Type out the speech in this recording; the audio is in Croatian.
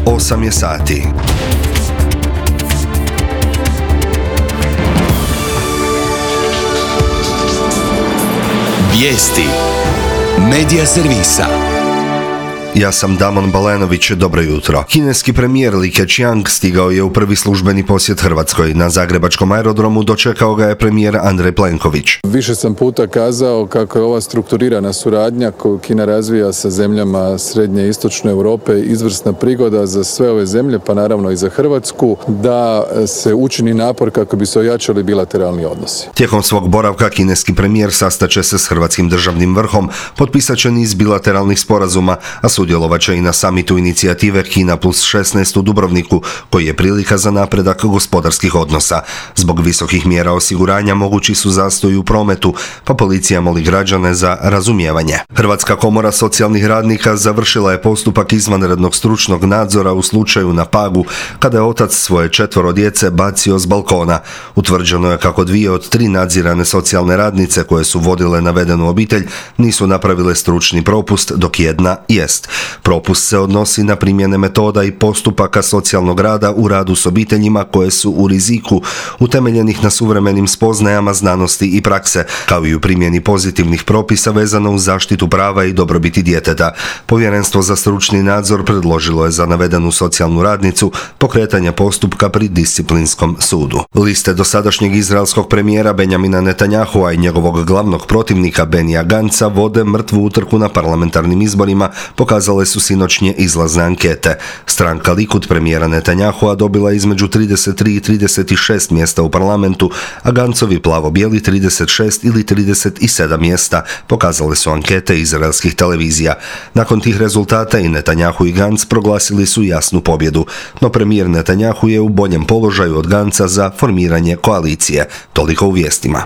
8 je sati. Vijesti Medija servisa. Ja sam Damon Balenović, dobro jutro. Kineski premijer Li Keqiang stigao je u prvi službeni posjet Hrvatskoj. Na zagrebačkom aerodromu dočekao ga je premijer Andrej Plenković. Više sam puta kazao kako je ova strukturirana suradnja koju Kina razvija sa zemljama srednje i istočne Europe izvrsna prigoda za sve ove zemlje, pa naravno i za Hrvatsku, da se učini napor kako bi se ojačali bilateralni odnosi. Tijekom svog boravka kineski premijer sastaće se s hrvatskim državnim vrhom, potpisat će niz bilateralnih sporazuma, a sudjelovat će i na samitu inicijative Kina +16 u Dubrovniku, koji je prilika za napredak gospodarskih odnosa. Zbog visokih mjera osiguranja mogući su zastoji u prometu, pa policija moli građane za razumijevanje. Hrvatska komora socijalnih radnika završila je postupak izvanrednog stručnog nadzora u slučaju na Pagu, kada je otac svoje 4 djece bacio s balkona. Utvrđeno je kako 2 od 3 nadzirane socijalne radnice koje su vodile navedenu obitelj nisu napravile stručni propust, dok jedna jest. Propust se odnosi na primjene metoda i postupaka socijalnog rada u radu s obiteljima koje su u riziku, utemeljenih na suvremenim spoznajama znanosti i prakse, kao i u primjeni pozitivnih propisa vezano uz zaštitu prava i dobrobiti djeteta. Povjerenstvo za stručni nadzor predložilo je za navedenu socijalnu radnicu pokretanje postupka pri disciplinskom sudu. Liste dosadašnjeg izraelskog premijera Benjamina Netanyahua i njegovog glavnog protivnika Benija Gantza vode mrtvu utrku na parlamentarnim izborima, pokazale su sinoćnje izlazne ankete. Stranka Likud premijera Netanyahua dobila između 33 i 36 mjesta u parlamentu, a Gancovi plavo-bijeli 36 ili 37 mjesta, pokazale su ankete izraelskih televizija. Nakon tih rezultata i Netanyahu i Gantz proglasili su jasnu pobjedu, no premijer Netanyahu je u boljem položaju od Gantza za formiranje koalicije. Toliko u vijestima.